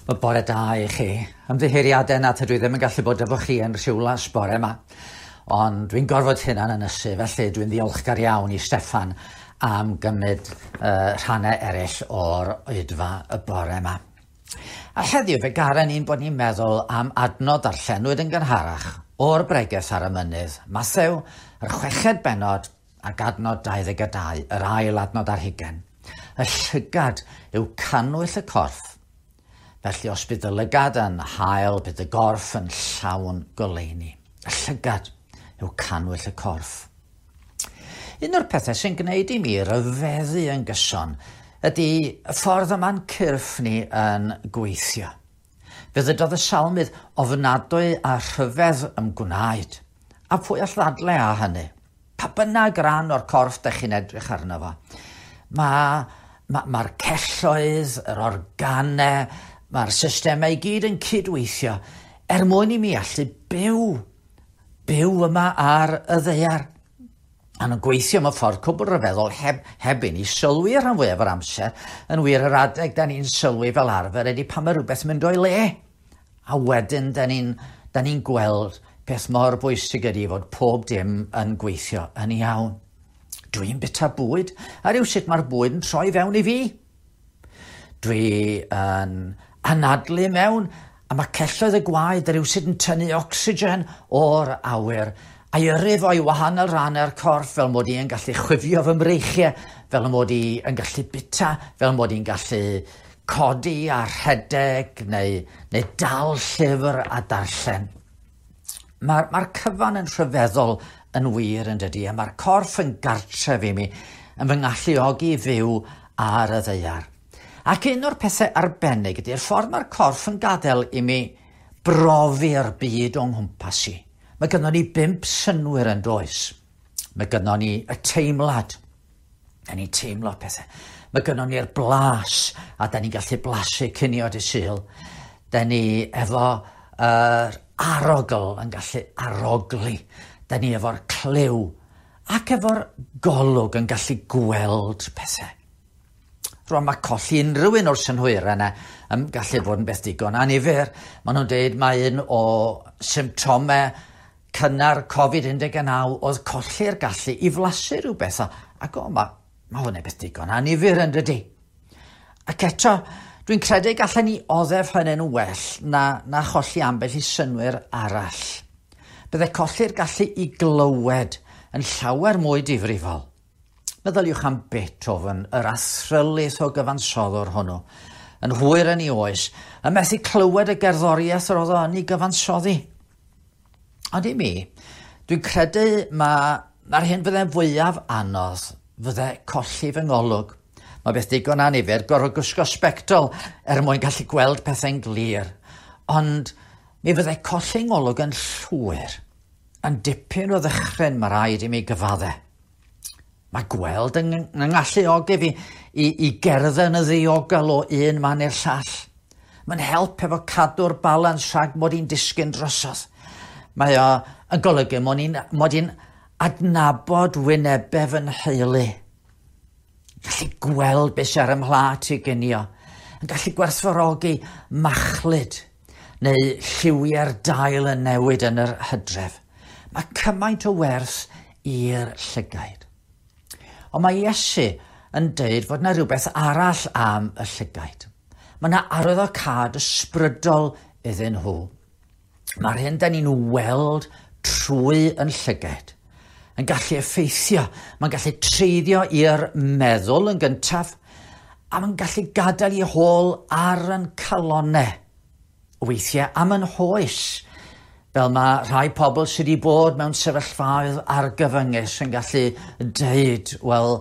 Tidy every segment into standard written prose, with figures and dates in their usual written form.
Wel, bore da i chi. Ymddiheuriadau na tydw i ddim yn gallu bod efo chi yn Rhiwlas bore yma. Ond dwi'n gorfod hunan ynysu, felly dwi'n ddiolchgar iawn i Steffan am gymryd rhannau eraill o'r oedfa y bore yma. A heddiw fe garen ni'n bod ni'n meddwl am adnod darllenwyd yn gynharach o'r bregeth ar y mynydd, Mathew, yr chweched bennod ac adnod 22, yr ail adnod ar hugen. Y llygad yw cannwyll y corff. Felly os bydd y lygad yn hael, bydd y gorff yn llawn goleuni. Y llygad yw cannwyll y corff. Un o'r pethau sy'n gwneud i mi ryfeddu yn gyson ydy y ffordd yma'n cyrff ni yn gweithio. Fe ddydodd y salmydd ofnadwy a rhyfedd ymgwnaed. A pwy all ddadle â hynny? Pa bynnag ran o'r corff dych chi'n edrych arno fo. Mae'r ma, ma celloedd, yr organau, mae'r systemau i gyd yn cydweithio er mwyn i mi allu byw. Byw yma ar y ddaear. A nhw'n gweithio mewn ffordd cwbl ryfeddol heb, heb i ni sylwi rhan fwyaf o'r amser. Yn wir, yr adeg da ni'n sylwi fel arfer ydy pan mae rhywbeth yn mynd o'i le. A wedyn da ni'n da ni gweld peth mor bwysig ydy fod pob dim yn gweithio yn iawn. Dwi'n byta bwyd, a rhywsut mae'r bwyd yn troi fewn i fi. Dwi yn anadlu mewn, a mae celloedd y gwaed rhywsut yn tynnu ocsigen o'r awyr a'i yrru fo i wahanol rannau'r corff fel mod i yn gallu chwifio fy mreichiau, fel mod i yn gallu byta, fel mod i'n gallu codi a rhedeg neu, neu dal llyfr a darllen. Mae'r ma cyfan yn rhyfeddol yn wir yn dydy, a mae'r corff yn gartref i mi, yn fy ngalluogi i fyw ar y ddaear. Ac un o'r pethau arbennig ydy'r ffordd mae'r corff yn gadael i mi brofi'r byd o'n nghwmpas i. Mae gynnon ni 5 synnwyr yn does. Mae gynnon ni y teimlad. Da ni'n teimlo pethau. Mae gynnon ni'r blas, a da ni'n gallu blasu cinio dy Sul. Da ni efo yr arogl yn gallu arogli. Da ni efo'r clyw ac efo'r golwg yn gallu gweld pethau. Rwan mae colli unrhyw un o'r synhwyrau yna yn gallu bod yn beth digon annifyr. Maen nhw'n deud mae un o symptomau cynnar Covid-19 oedd colli'r gallu i flasu rhywbeth. Ac o, mae, mae hwnna'n beth digon annifyr yn dydy. Ac eto, dwi'n credu gallen ni oddef hynny'n well na, na cholli ambell i synnwyr arall. Bydde colli'r gallu i glywed yn llawer mwy difrifol. Meddyliwch am Beethoven, yr athrylith o gyfansoddwr hwnnw, yn hwyr yn ei oes, yn methu clywed y gerddoriaeth yr oedd o yn ei gyfansoddi. Ond i mi, dwi'n credu mae'r hyn fydde'n fwyaf anodd fydde colli fy ngolwg. Mae beth digon annifyr gorfod gwisgo sbectol er mwyn gallu gweld pethau'n glir. Ond mi fydde colli ngolwg yn llwyr, yn dipyn o ddychryn mae rhaid i mi gyfadde. Mae gweld yn ngalluogi fi i, i gerdded yn y ddiogel o un man i'r llall. Mae'n help efo cadw'r balans rhag mod i'n disgyn drosodd. Mae o yn golygu mod i'n mod i'n adnabod wynebau fy nheulu. Gallu gweld beth sy'n ar 'y mhlât i ginio. Yn gallu gwerthfawrogi machlud neu lliwiau'r dail yn newid yn yr hydref. Mae cymaint o werth i'r llygaid. Ond mae Iesu yn deud fod yna rhywbeth arall am y llygaid. Mae yna arwyddocâd ysbrydol iddyn nhw. Mae'r hyn da ni'n weld trwy yn llygaid yn gallu effeithio, mae'n gallu treiddio i'r meddwl yn gyntaf, a mae'n gallu gadael i hôl ar yn calonnau. Weithiau am yn hoes, fel mae rhai pobl sydd wedi bod mewn sefyllfaoedd argyfyngus yn gallu deud, wel,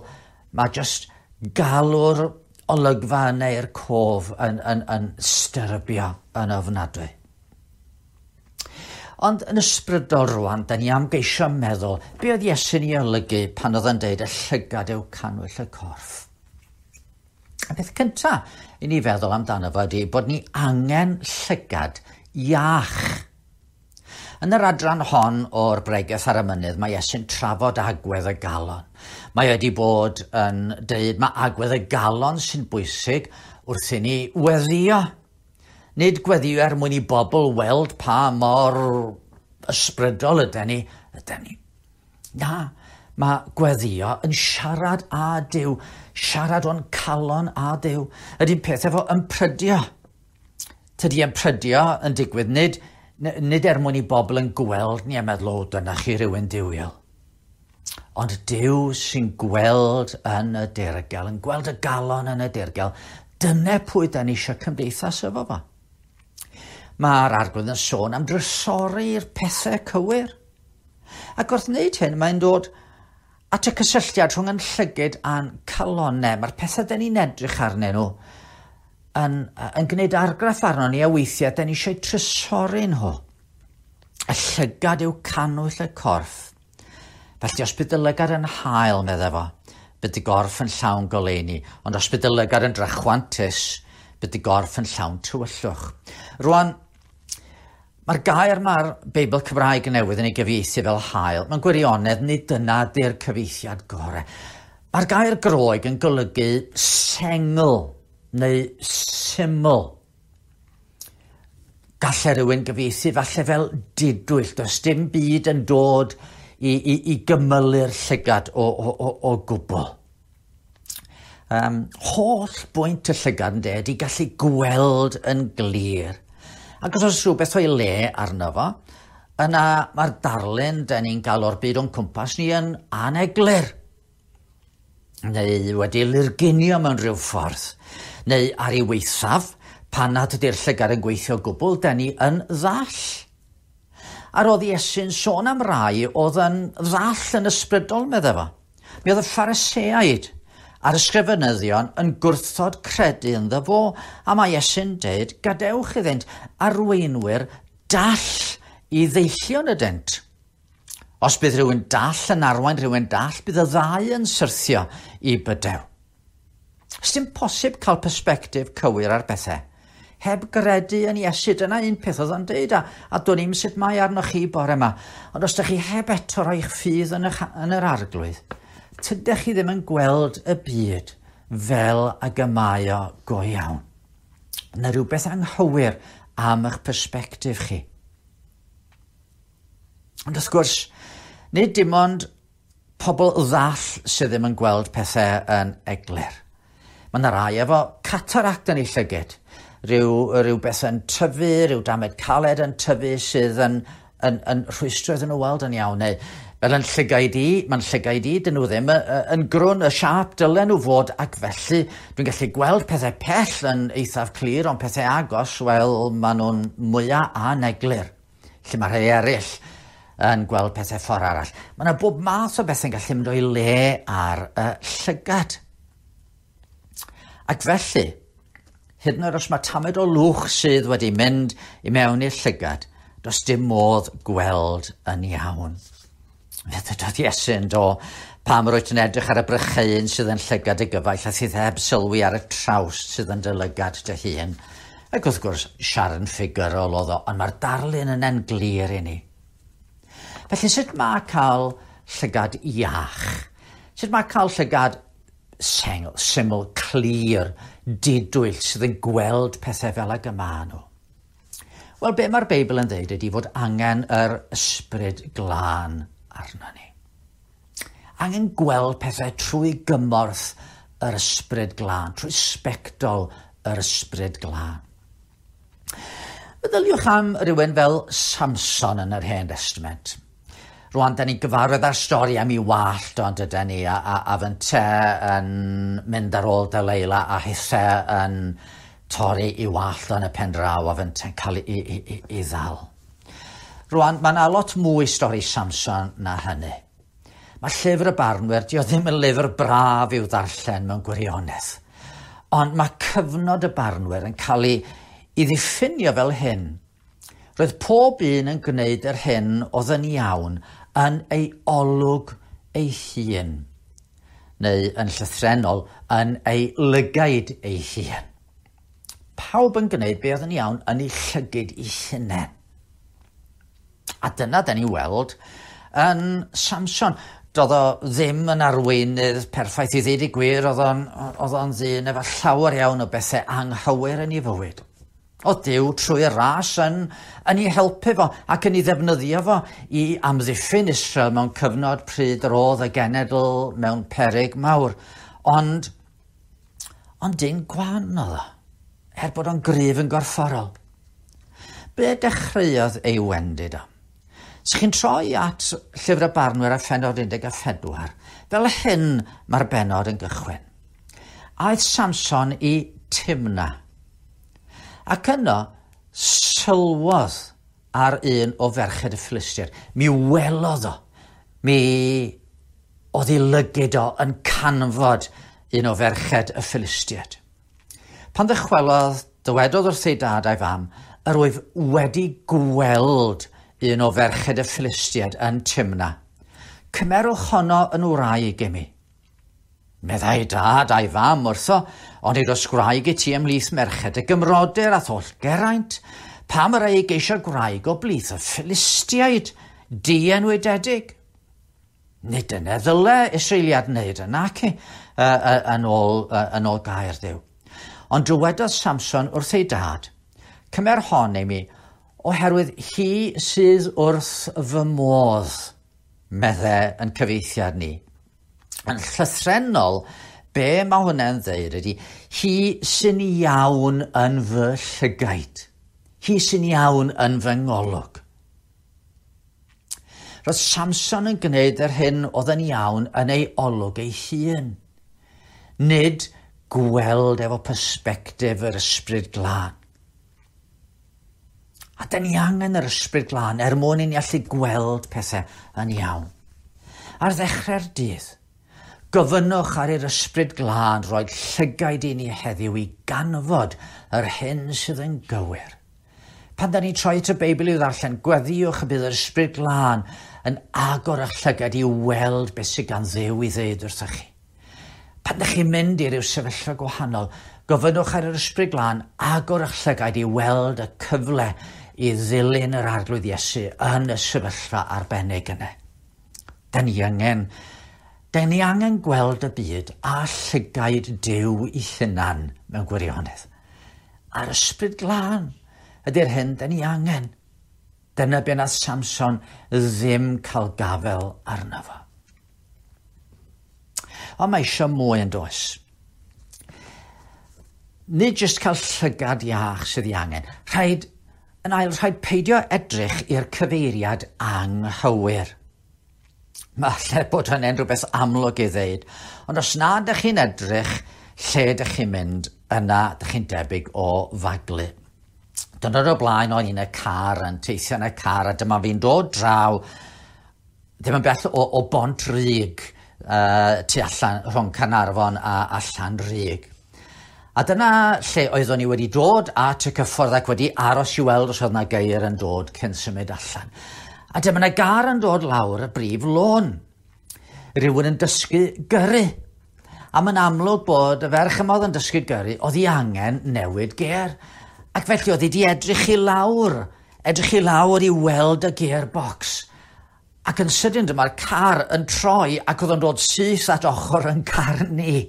mae jyst galw'r olygfa yna i'r cof yn, yn, yn styrbio yn ofnadwy. Ond yn ysbrydol rwan, da ni am geisio meddwl, be oedd Iesu'n ei olygu pan oedd yn deud y llygad yw cannwyll y corff? Y peth cyntaf i ni feddwl amdano fo ydy bod ni angen llygad iach. Yn yr adran hon o'r bregeth ar y mynydd, mae Iesu'n trafod agwedd y galon. Mae wedi bod yn deud mae agwedd y galon sy'n bwysig wrth i ni weddïo. Nid gweddio er mwyn i bobl weld pa mor ysbrydol yden ni, yden ni. Na, mae gweddio yn siarad â Duw, siarad o'n calon â Duw. Ydy'n peth efo ymprydio. Tydi ymprydio yn digwydd nid, nid er mwyn i bobl yn gweld ni a meddwl, o, dyna chi rhywun duwiol. Ond Duw sy'n gweld yn y dirgel, yn gweld y galon yn y dirgel, dyna pwy da ni eisiau cymdeithas efo fo. Mae'r Arglwydd yn sôn am drysori'r pethau cywir. Ac wrth wneud hyn, mae'n dod at y cysylltiad rhwng yn llygyd a'n calonau. Mae'r pethau da ni'n edrych arnyn nhw yn, yn gwneud argraff arno ni a weithiau da ni eisiau trysori nhw. Y llygad yw cannwyll y corff. Felly os bydd dy lygad yn hael, meddai fo, bydd dy gorff yn llawn goleuni, ond os bydd dy lygad yn drachwantus, bydd dy gorff yn llawn tywyllwch. Rwan, mae'r gair mae'r Beibl Cymraeg newydd yn ei gyfieithu fel hael. Mae'n gwirionedd, nid dyna di'r cyfieithiad gorau. Mae'r gair Groeg yn golygu sengl neu syml. Gallai rhywun gyfieithu falle fel didwyll. Does dim byd yn dod i, i, i gymylu'r llygad o, o, o, o gwbl. Um, holl bwynt y llygad yn dweud i gallu gweld yn glir. Ac os oes rhywbeth o'i le arno fo, yna mae'r darlun da ni'n gael o'r byd o'n cwmpas ni yn aneglur. Neu wedi lurgunio mewn rhyw ffordd. Neu ar ei weithaf, pan nad ydy'r llygad yn gweithio gwbl, da ni yn ddall. A roedd Iesu'n sôn am rai oedd yn ddall yn ysbrydol, meddai fo. Mi oedd y Phariseaid a'r ysgrifenyddion yn gwrthod credu ynddo fo, a mae Iesu'n deud, gadewch iddynt arweinwyr dall i ddeillion ydynt. Os bydd rhywun dall yn arwain rhywun dall, bydd y ddau yn syrthio i bydew. Sdim posib cael persbectif cywir ar bethau. Heb gredu yn Iesu, dyna un peth oedd o'n deud, a, a do'n i'm sut mae arnoch chi bore yma. Ond os ydych chi heb eto roi'ch ffydd yn, y, yn yr arglwydd, tydych chi ddim yn gweld y byd fel ag y mae o go iawn. Yna rhywbeth anghywir am eich persbectif chi. Ond wrth gwrs, nid dim ond pobl ddall sydd ddim yn gweld pethau yn eglur. Mae yna rai efo cataract yn ei llyged, rhyw, rhyw beth yn tyfu, rhyw damed caled yn tyfu sydd yn, yn, yn rhwystro iddyn nhw weld yn iawn, neu fel yn llygaid i, mae'n llygaid i, dyn nhw ddim yn grwn y siâp dylen nhw fod, ac felly dwi'n gallu gweld pethau pell yn eithaf clir, ond pethau agos, wel, maen nhw'n mwyaf aneglur. Lle mae rhai eraill yn gweld pethau ffordd arall. Mae yna bob math o bethau'n gallu mynd o'i le ar y llygad. Ac felly, hyd yn oed os mae tamed o lwch sydd wedi mynd i mewn i'r llygad, does dim modd gweld yn iawn. Fe ddydodd Iesu'n do, pam rwyt yn edrych ar y brycheuyn sydd yn llygad y gyfaill a sydd heb sylwi ar y trawst sydd yn dy lygad dy hun. Ac wrth gwrs, siarad yn ffigurol oedd o, ond mae'r darlun yna'n glir i ni. Felly sut mae cael llygad iach? Sut mae cael llygad sengl, syml, clir, didwyll, sydd yn gweld pethau fel ag y maen nhw? Wel, be mae'r Beibl yn dweud ydy fod angen yr ysbryd glân arno ni. Angen gweld pethau trwy gymorth yr ysbryd glân, trwy sbectol yr ysbryd glân. Meddyliwch am rywun fel Samson yn yr Hen Testament. Rwan, da ni'n gyfarwydd â'r stori am ei wallt ond ydy ni, a, a, a fynte yn mynd ar ôl Deleila a hithe yn torri i wallt yn y pen draw a fynte'n cael ei, ei, ei, ei ddal. Rwan, mae yna lot mwy stori Samson na hynny. Mae llyfr y barnwyr, di o ddim yn lyfr braf i'w ddarllen mewn gwirionedd. Ond mae cyfnod y barnwyr yn cael ei, ei ddiffinio fel hyn. Roedd pob un yn gwneud yr hyn oedd yn iawn yn ei olwg ei hun, neu yn llythrennol yn ei lygaid ei hun. Pawb yn gwneud be oedd yn iawn yn ei llygid ei hunain. A dyna da ni weld yn Samson. Doedd o ddim yn arweinydd perffaith i ddeud y gwir, oedd o'n, oedd o'n ddyn efo llawer iawn o bethau anghywir yn ei fywyd. Oedd Duw trwy'r ras yn, yn ei helpu fo ac yn ei ddefnyddio fo i amddiffyn Israel mewn cyfnod pryd yr oedd y genedl mewn peryg mawr. Ond, ond dyn gwan oedd o, er bod o'n gryf yn gorfforol. Be dechreuodd ei wendid o? Os chi'n troi at Llyfr y Barnwyr a phennod 14, fel hyn mae'r bennod yn gychwyn. Aeth Samson i Timna. Ac yno, sylwodd ar un o ferched y Philistiaid. Mi welodd o. Mi oedd ei lygid o yn canfod un o ferched y Philistiaid. Pan ddychwelodd, dywedodd wrth ei dad a'i fam, yr wyf wedi gweld un o ferched y Philistiaid yn Timna. Cymerwch honno yn wraig i mi. Meddai dad a'i fam wrtho, ond nid oes gwraig i ti ymhlith merched y gymrodyr a tholl Geraint, pam yr ei geisio gwraig o blith y Philistiaid dienwydedig? Nid dyna ddyle Israeliad wneud yna, ci, yn ôl, yn ôl gair Dduw. Ond dywedodd Samson wrth ei dad, cymer hon i mi, oherwydd hi sydd wrth fy modd, medde yn cyfeithiad ni. Yn llythrennol, be mae hwnna'n dweud ydy, hi sy'n iawn yn fy llygaid. Hi sy'n iawn yn fy ngolwg. Roedd Samson yn gwneud yr hyn oedd yn iawn yn ei olwg ei hun. Nid gweld efo persbectif yr Ysbryd Glân. A da ni angen yr Ysbryd Glân er mwyn i ni allu gweld pethau yn iawn. Ar ddechrau'r dydd, gofynnwch ar i'r Ysbryd Glân roi llygaid i ni heddiw i ganfod yr hyn sydd yn gywir. Pan da ni'n troi at y Beibl i'w ddarllen, gweddïwch y bydd yr Ysbryd Glân yn agor eich llygad i weld beth sydd gan Dduw i ddeud wrthych chi. Pan ydych chi'n mynd i ryw sefyllfa gwahanol, gofynnwch ar yr Ysbryd Glân agor eich llygaid i weld y cyfle i ddilyn yr Arglwydd Iesu yn y sefyllfa arbennig yna. Da ni angen, da ni angen gweld y byd a llygaid Duw i hunan mewn gwirionedd. A'r Ysbryd Glân ydy'r hyn da ni angen. Dyna be nath Samson ddim cael gafel arno fo. Ond mae eisiau mwy yn does. Nid jyst cael llygad iach sydd ei angen. Rhaid, yn ail, rhaid peidio edrych i'r cyfeiriad anghywir. Mae lle bod hynny'n rhywbeth amlwg i ddeud, ond os na ydych chi'n edrych lle ydych chi'n mynd, yna ydych chi'n debyg o faglu. Dyna'r o blaen o'n i'n y car, yn teithio yn y car, a dyma fi'n dod draw, ddim yn bell o, o Bont Rug, tu allan rhwng Caernarfon a, a Llanrug. A dyna lle oeddwn i wedi dod at y cyffordd ac wedi aros i weld os oedd yna geir yn dod cyn symud allan. A dyma yna gar yn dod lawr y brif lôn. Rhywun yn dysgu gyrru. A mae'n amlwg bod y ferch yma oedd yn dysgu gyrru, oedd hi angen newid gêr. Ac felly oedd hi wedi edrych i lawr, edrych i lawr i weld y gearbox. Ac yn sydyn dyma'r car yn troi ac oedd o'n dod syth at ochr yn car ni.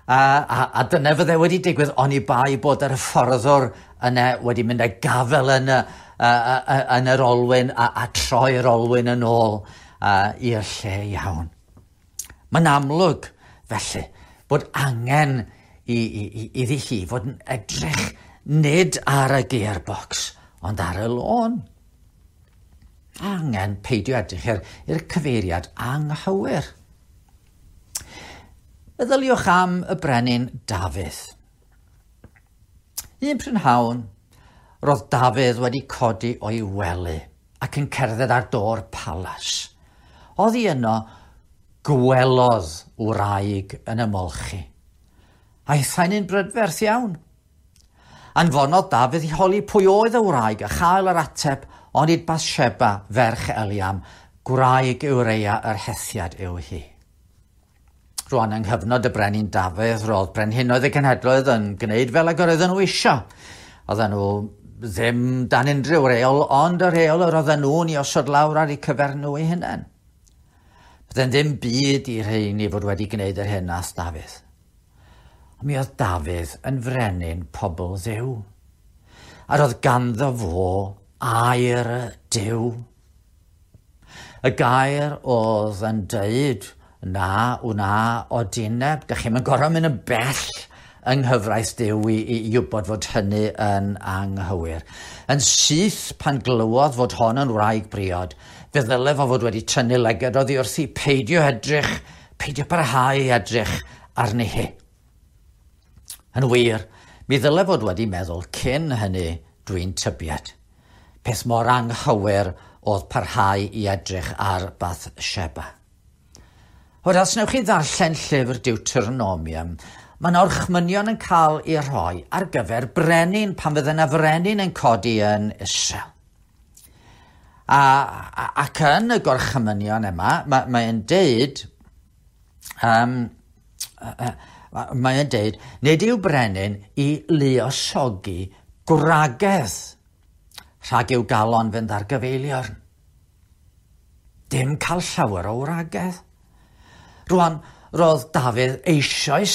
A, a, a dyna fydde wedi digwydd oni bai bod yr hyfforddwr yna wedi mynd â gafel yn, y, a, a, yn yr olwyn a, a troi'r olwyn yn ôl i'r lle iawn. Mae'n amlwg, felly, bod angen i, i, i, iddi hi fod yn edrych nid ar y gearbox, ond ar y lôn. Angen peidio edrych i'r cyfeiriad anghywir. Meddyliwch am y brenin Dafydd. Un prynhawn, roedd Dafydd wedi codi o'i wely ac yn cerdded ar dôr palas. Oddi yno, gwelodd wraig yn ymolchi. Aethai'n un brydferth iawn. Anfonodd Dafydd i holi pwy oedd y wraig a chael yr ateb, onid Bathsheba, ferch Eliam, gwraig Ureia yr Hethiad yw hi. Rwan yng nghyfnod y brenin Dafydd, roedd brenhinoedd y cenhedloedd yn gwneud fel ag yr oedden nhw isio. Oedden nhw ddim dan unrhyw reol, ond y reol yr oedden nhw'n i osod lawr ar eu cyfer nhw eu hunain. Bydde'n ddim byd i rheini fod wedi gwneud yr hyn nath Dafydd. Ond mi oedd Dafydd yn frenin pobl Dduw. A roedd ganddo fo air Duw. Y gair oedd yn deud, na, wna odineb. Dych chi'm yn gorfod mynd yn bell yng nghyfraith Duw i wybod fod hynny yn anghywir. Yn syth pan glywodd fod hon yn wraig briod, fe ddyle fo fod wedi tynnu lygad oddi wrthi, peidio edrych, peidio parhau i edrych arni hi. Yn wir, mi ddyle fod wedi meddwl cyn hynny, dwi'n tybied. Peth mor anghywir oedd parhau i edrych ar Bathsheba. Wel, os wnewch chi ddarllen llyfr Deuteronomium, mae'n orchmynion yn cael ei rhoi ar gyfer brenin pan fydde yna frenin yn codi yn Israel. Ac yn y gorchmynion yma, mae'n deud, mae'n deud, nid yw brenin i luosogi gwragedd rhag i'w galon fynd ar gyfeiliorn. Dim cael llawer o wragedd. Rwan, roedd Dafydd eisoes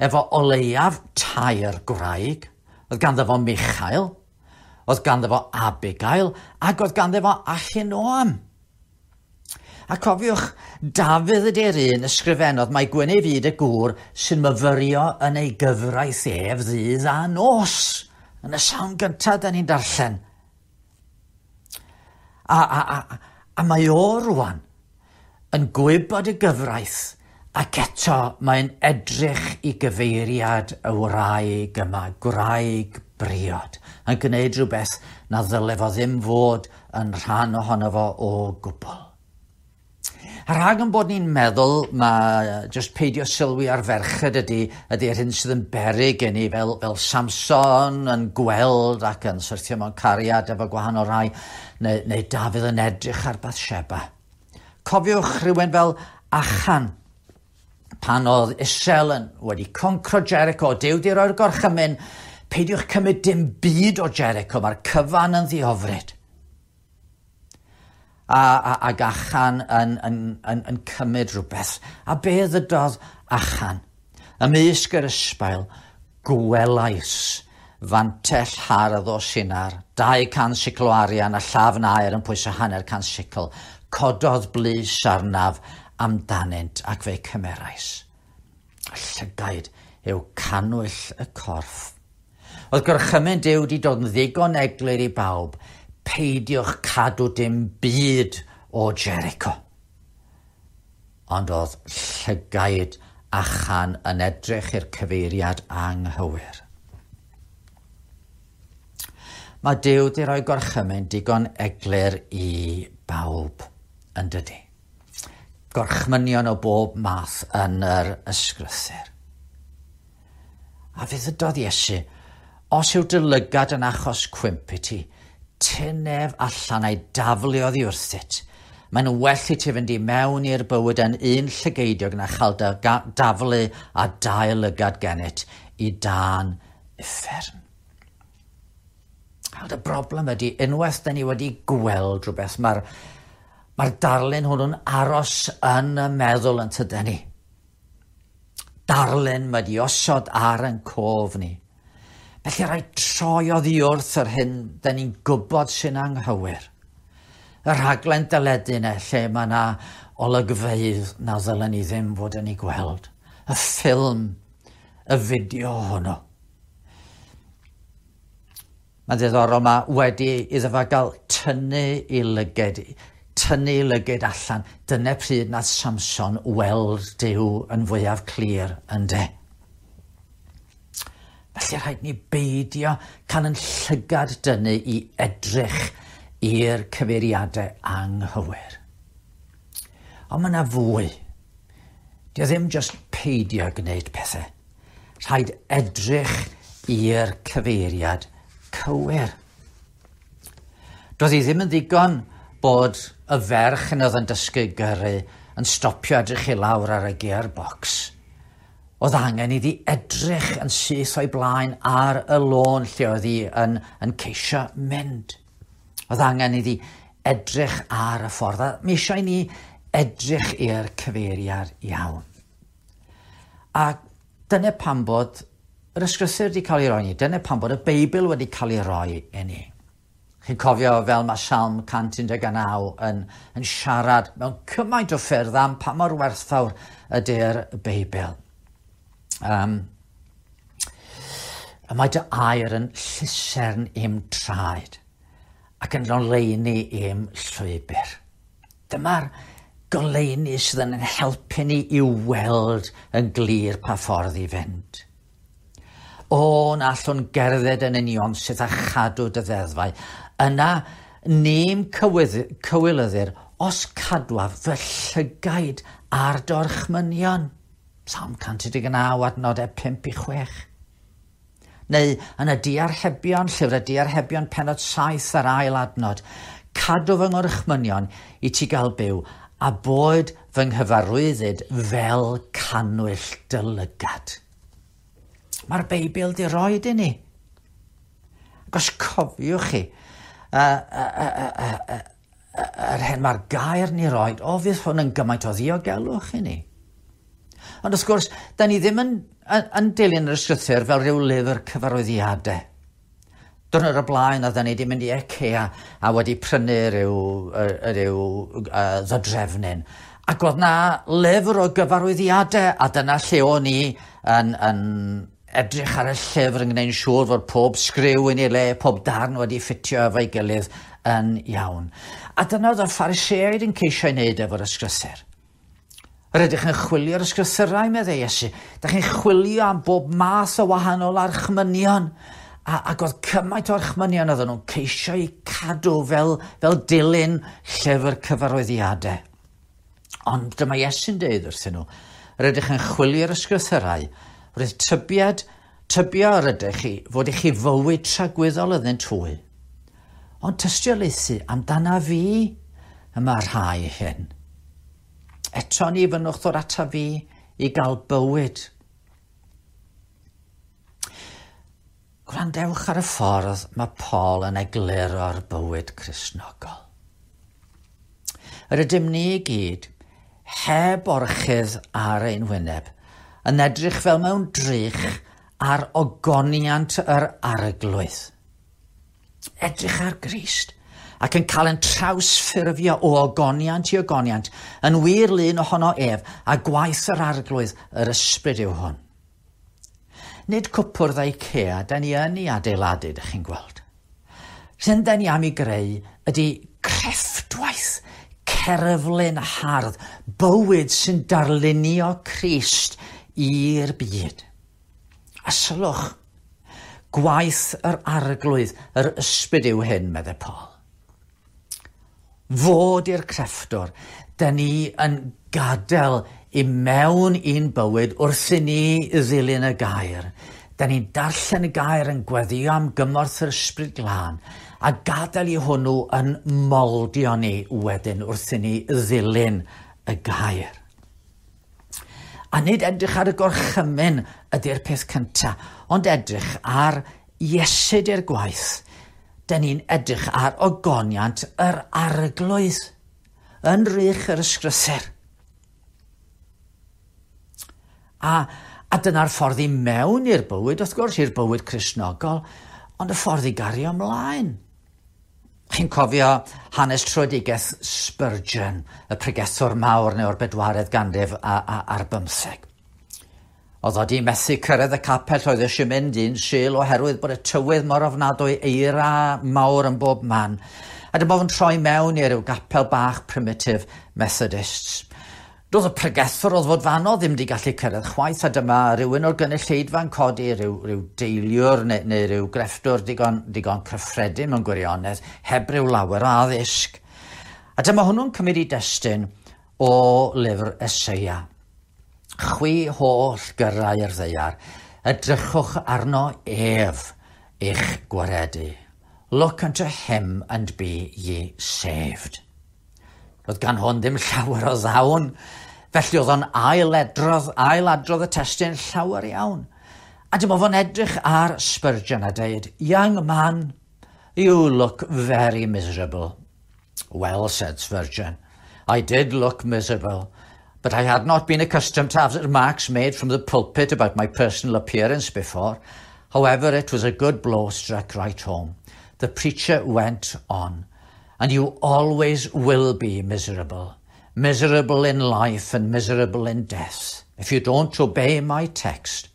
efo o leiaf 3 gwraig. Oedd ganddo fo Michael, oedd ganddo fo Abigail, ac oedd ganddo fo Ahinoam. A cofiwch, Dafydd ydy'r un ysgrifennodd mai gwyn ei fyd y gŵr sy'n myfyrio yn ei gyfraith ef ddydd a nos. Yn y salm gyntaf da ni'n darllen. A mae o rwan yn gwybod y gyfraith ac eto mae'n edrych i gyfeiriad y wraig yma, gwraig briod, yn gwneud rhywbeth na ddyle fo ddim fod yn rhan ohono fo o gwbl. A rhag yn bod ni'n meddwl ma jyst peidio sylwi ar ferched ydy'r hyn sydd yn beryg gen i fel Samson yn gweld ac yn syrthio mewn cariad efo gwahanol rai, neu Dafydd yn edrych ar Bathsheba. Cofiwch rhywun fel Achan, pan oedd Israel yn wedi concro Jericho, Duw di roi'r gorchymyn, peidiwch cymryd dim byd o Jericho, mae'r cyfan yn ddiofryd. Ag Achan yn cymryd rhywbeth. A be ddydodd Achan? Ymysg yr ysbail, gwelais fantell hardd o Sinar, 200 sicl o arian a llafn aer yn pwyso 150 sicl. Cododd blys arnaf amdanynt ac fe cymerais. Y llygaid yw cannwyll y corff. Oedd gorchymyn Duw wedi dod yn ddigon eglur i bawb, peidiwch cadw dim byd o Jericho. Ond oedd llygaid Achan yn edrych i'r cyfeiriad anghywir. Mae Duw wedi rhoi gorchymyn digon eglur i bawb, yn dydi? Gorchmynion o bob math yn yr ysgrythur. A fe ddydodd Iesu, os yw dy lygad yn achos cwymp i ti, tyn ef allan a'i daflu oddi wrthyt. Mae'n well i ti fynd i mewn i'r bywyd yn un llygeidiog na chael dy daflu a dau lygad gennyt i dan uffern. Ond y broblem ydy, unwaith da ni wedi gweld rhywbeth, mae'r darlun hwnnw'n aros yn y meddwl yn tyden ni. Darlun mae di osod ar yn cof ni. Felly rhaid troi oddi wrth yr hyn da ni'n gwybod sy'n anghywir. Y rhaglen deledu yna lle mae yna olygfeydd na ddylen ni ddim fod yn ei gweld. Y ffilm, y fideo hwnnw. Mae'n ddiddorol, mae wedi iddo fo gael tynnu i lyged, tynnu i lyged allan. Dyna pryd nath Samson weld Duw yn fwyaf clir, ynde. Felly rhaid ni beidio cael yn llygad dynnu i edrych i'r cyfeiriadau anghywir. Ond mae yna fwy. Dio ddim jyst peidio gwneud pethau. Rhaid edrych i'r cyfeiriad cywir. Doedd hi ddim yn ddigon bod y ferch yn oedd yn dysgu gyrru yn stopio edrych i lawr ar y gearbox. Oedd angen iddi edrych yn syth o'i blaen ar y lôn lle oedd hi yn ceisio mynd. Oedd angen iddi edrych ar y ffordd. A mi eisiau ni edrych i'r cyfeiriad iawn. A dyna pam bod yr ysgrythur wedi cael ei roi ni. Dyna pam bod y Beibl wedi cael ei roi i ni. Chi'n cofio fel mae Salm 119 yn siarad mewn cymaint o ffyrdd am pa mor werthfawr ydy'r Beibl. Y mae dy air yn llusern i'm traed ac yn goleuni i'm llwybr. Dyma'r goleuni sydd yn helpu ni i weld yn glir pa ffordd i fynd. O, na allwn gerdded yn union sydd â chadw dy ddeddfau. Yna, ni'm cywilyddir os cadwaf fy llygaid ar dorchmynion. Salm 119, adnodau 5 i 6. Neu yn y diarhebion, llyfr y diarhebion penod 7 ar ail adnod, cadw fy ngorchmynion i ti gael byw, a boed fy nghyfarwyddyd fel cannwyll dy lygad. Mae'r Beibl di roed i ni. Ac os cofiwch chi, yr hyn mae'r gair ni roed, o fydd hwn yn gymaint o ddiogelwch i ni. Ond wrth gwrs, da ni ddim yn dilyn yr ysgrythur fel rhyw lyfr cyfarwyddiadau. Diwrnod o'r blaen oedden ni wedi mynd i IKEA a wedi prynu rhyw ddodrefnyn. Ac oedd na lyfr o gyfarwyddiadau a dyna lle o'n i yn edrych ar y llyfr yn gwneud yn siŵr fod pob sgriw yn ei le, pob darn wedi ffitio efo'i gilydd yn iawn. A dyna oedd y Phariseaid yn ceisio ei wneud efo'r ysgrythur. Yr ydych yn chwilio'r ysgrythurau, meddai Iesu. Dych chi'n chwilio am bob math o wahanol archmynion. Ac oedd cymaint o archmynion oedden nhw'n ceisio eu cadw fel dilyn llyfr cyfarwyddiadau. Ond dyma Iesu'n deud wrthyn nhw, yr ydych yn chwilio'r ysgrythurau, roedd tybio yr ydych chi fod i chi fywyd tragwyddol iddynt hwy. Ond tystiolaethu amdana fi y mae rhai hyn. Eto ni fynnwch ddod ata fi i gael bywyd. Gwrandewch ar y ffordd mae Paul yn egluro'r bywyd Cristnogol. Yr ydym ni i gyd, heb orchudd ar ein wyneb, yn edrych fel mewn drych ar ogoniant yr arglwydd. Edrych ar Grist ac yn cael yn trawsffurfio o ogoniant i ogoniant, yn wir lun ohono ef, a gwaith yr arglwydd yr ysbryd yw hwn. Nid cwpwrdd IKEA da ni yn ei adeiladu, dych chi'n gweld. Sy'n da ni am ei greu ydy crefftwaith, cerflun hardd, bywyd sy'n darlunio Crist i'r byd. A sylwch, gwaith yr arglwydd, yr ysbryd yw hyn, meddai Paul. Fod i'r crefftwr, da ni yn gadael i mewn i'n bywyd wrth i ni ddilyn y gair. Da ni'n darllen y gair yn gweddio am gymorth yr ysbryd glân a gadael i hwnnw yn moldio ni wedyn wrth i ni ddilyn y gair. A nid edrych ar y gorchymyn ydy'r peth cyntaf, ond edrych ar Iesu i'r gwaith. Da ni'n edrych ar ogoniant yr arglwydd yn rych yr ysgrythur. A dyna'r ffordd i mewn i'r bywyd, wrth gwrs, i'r bywyd Cristnogol, ond y ffordd i gario ymlaen. Chi'n cofio hanes tröedigaeth Spurgeon, y pregethwr mawr neu o'r bedwaredd ganrif ar bymtheg. Oedd o di methu cyrraedd y capel oedd eisiau mynd un Sul oherwydd bod y tywydd mor ofnadwy, eira mawr yn bob man. A dyma fo'n troi mewn i ryw gapel bach primitive Methodists. Doedd y pregethwr oedd fod fanno ddim wedi gallu cyrraedd chwaith, a dyma rhywun o'r gynulleidfa'n codi rhyw deiliwr neu rhyw grefftwr digon cyffredin mewn gwirionedd, heb ryw lawer o addysg. A dyma hwnnw'n cymryd i destun o lyfr Eseia. Chwi holl gyrrau'r ddaear, edrychwch arno ef eich gwaredu. Look unto him and be ye saved. Roedd gan hwn ddim llawer o ddawn, felly oedd o'n ailadrodd y testun llawer iawn. A dyma fo'n edrych ar Spurgeon a dweud, "Young man, you look very miserable." "Well," said Spurgeon, "I did look miserable, But I had not been accustomed to have remarks made from the pulpit about my personal appearance before. However, it was a good blow struck right home. The preacher went on, and you always will be miserable. Miserable in life and miserable in death, if you don't obey my text.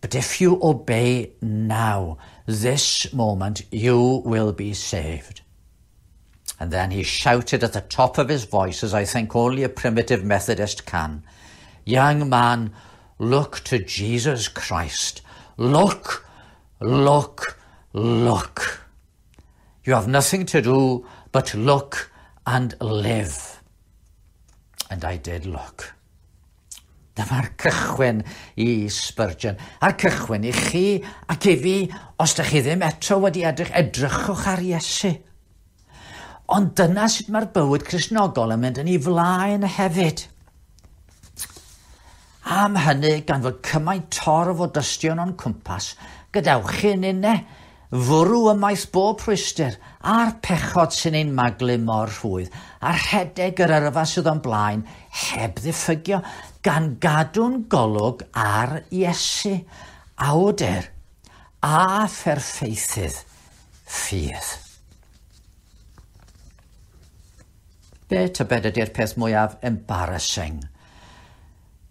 But if you obey now, this moment, you will be saved. And then he shouted at the top of his voice, as I think only a primitive Methodist can, Young man, look to Jesus Christ. Look, look, look. You have nothing to do but look and live. And I did look. Dyma'r cychwyn i Spurgeon, a'r cychwyn i chi ac i fi, os ydych chi ddim eto wedi edrych, edrychwch ar Iesu. Ond dyna sut mae'r bywyd Cristnogol yn mynd yn ei flaen hefyd. Am hynny, gan fod cymaint torf o dystion o'n cwmpas, gadewch chi ninne fwrw ymaith bob rhwystr a'r pechod sy'n ein maglu mor rhwydd, a rhedeg yr yrfa sydd o'n blaen heb ddiffygio, gan gadw'n golwg ar Iesu, awdur a pherffeithydd ffydd. Be tybed ydy'r peth mwyaf embarrassing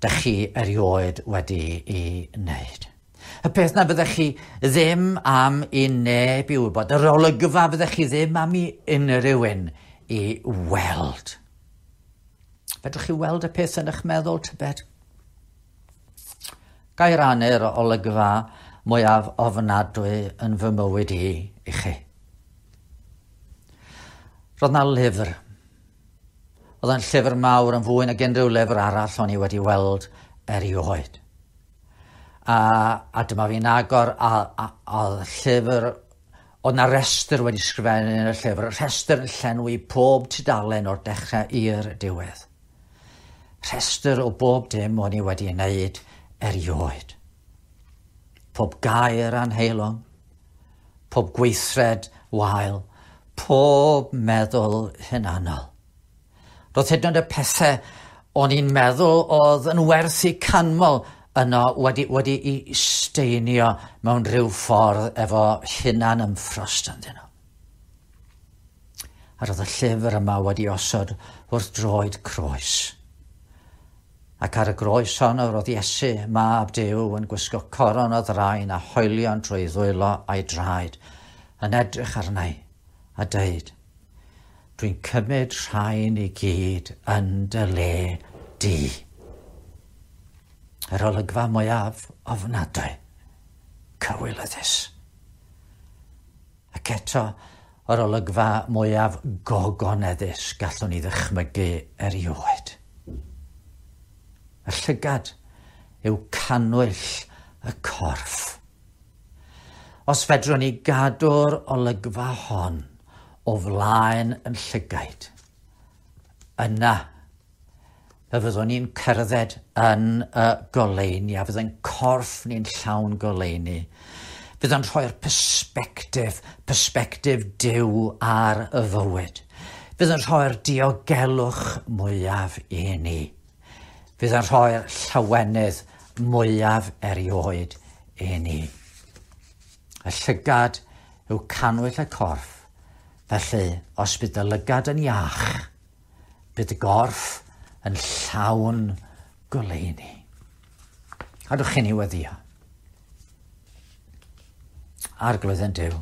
dych chi erioed wedi i wneud? Y peth na fyddech chi ddim am i neb i wybod, yr olygfa fyddech chi ddim am i unrhyw un i weld. Fedrwch chi weld y peth yn eich meddwl, tybed? Ga i rannu'r olygfa mwyaf ofnadwy yn fy mywyd i i chi. Roedd 'na lyfr. Oedd e'n llyfr mawr yn fwy nag unrhyw lyfr arall o'n i wedi weld erioed. A, a dyma fi'n agor a, a, a oedd y llyfr, oedd na restr wedi sgrifennu yn y llyfr, rhestr yn llenwi pob tudalen o'r dechrau i'r diwedd. Rhestr o bob dim o'n i wedi wneud erioed. Pob gair anheilwng, pob gweithred wael, pob meddwl hunanol. Roedd hyd yn oed y pethau o'n i'n meddwl oedd yn werth eu canmol yno wedi, wedi i steinio mewn rhyw ffordd efo hunan ymffrost ynddyn nhw. A roedd y llyfr yma wedi osod wrth droed croes. Ac ar y groes honno roedd Iesu, mab Duw, yn gwisgo coron o ddraen a hoelion trwy ddwylo a'i draed, yn edrych arna i a deud, Dwi'n cymryd rhain i gyd yn dy le di. Yr olygfa mwyaf ofnadwy, cywilyddus. Ac eto, yr olygfa mwyaf gogoneddus gallwn ni ddychmygu erioed. Y llygad yw cannwyll y corff. Os fedrwn ni gadw'r olygfa hon o flaen yn llygaid, yna fe fyddwn ni'n cerdded yn y goleuni a fydd ein corff ni'n llawn goleuni. Fydd o'n rhoi'r persbectif, persbectif Duw ar y fywyd. Fydd yn rhoi'r diogelwch mwyaf i ni. Fydd yn rhoi'r llawenydd mwyaf erioed i ni. Y llygad yw cannwyll y corff. Felly, os bydd dy lygad yn iach, bydd dy gorff yn llawn goleuni. Cadwch chi ni weddio. Arglwydd yn Duw,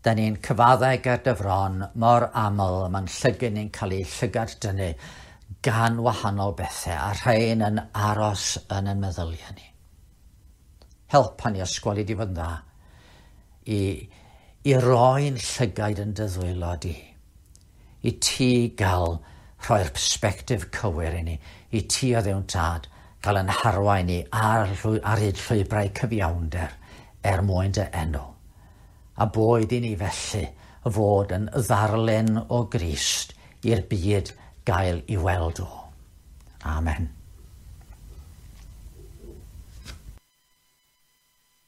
da ni'n cyfaddau ger dy fron mor aml mae'n llygyn ni'n cael ei llygad dynnu gan wahanol bethau a rhain yn aros yn ein meddyliau ni. Helpa ni ysgoli di fod yn dda i, i roi'n llygaid yn dy ddwylo di. I ti gael rhoi'r persbectif cywir i ni, i ti o Dduw'n Tad gael yn harwain ni ar, ar hyd llwybrau cyfiawnder er mwyn dy enw. A boed i ni felly fod yn ddarlun o Grist i'r byd gael i weld o. Amen.